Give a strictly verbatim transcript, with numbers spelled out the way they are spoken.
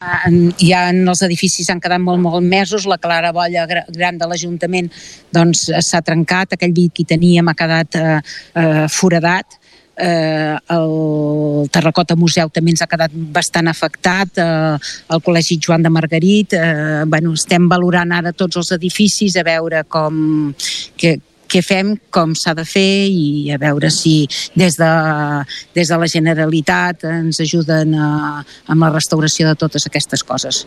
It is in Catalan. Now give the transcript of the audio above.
Ja en els edificis han quedat molt, molt mesos, la claraboia gran de l'Ajuntament doncs s'ha trencat, aquell vidre que hi teníem ha quedat eh, eh, foradat, eh, el Terracota Museu també ens ha quedat bastant afectat, eh, el Col·legi Joan de Margarit, eh, bueno, estem valorant ara tots els edificis a veure com... Que, què fem, com s'ha de fer i a veure si des de, des de la Generalitat ens ajuden a, amb la restauració de totes aquestes coses.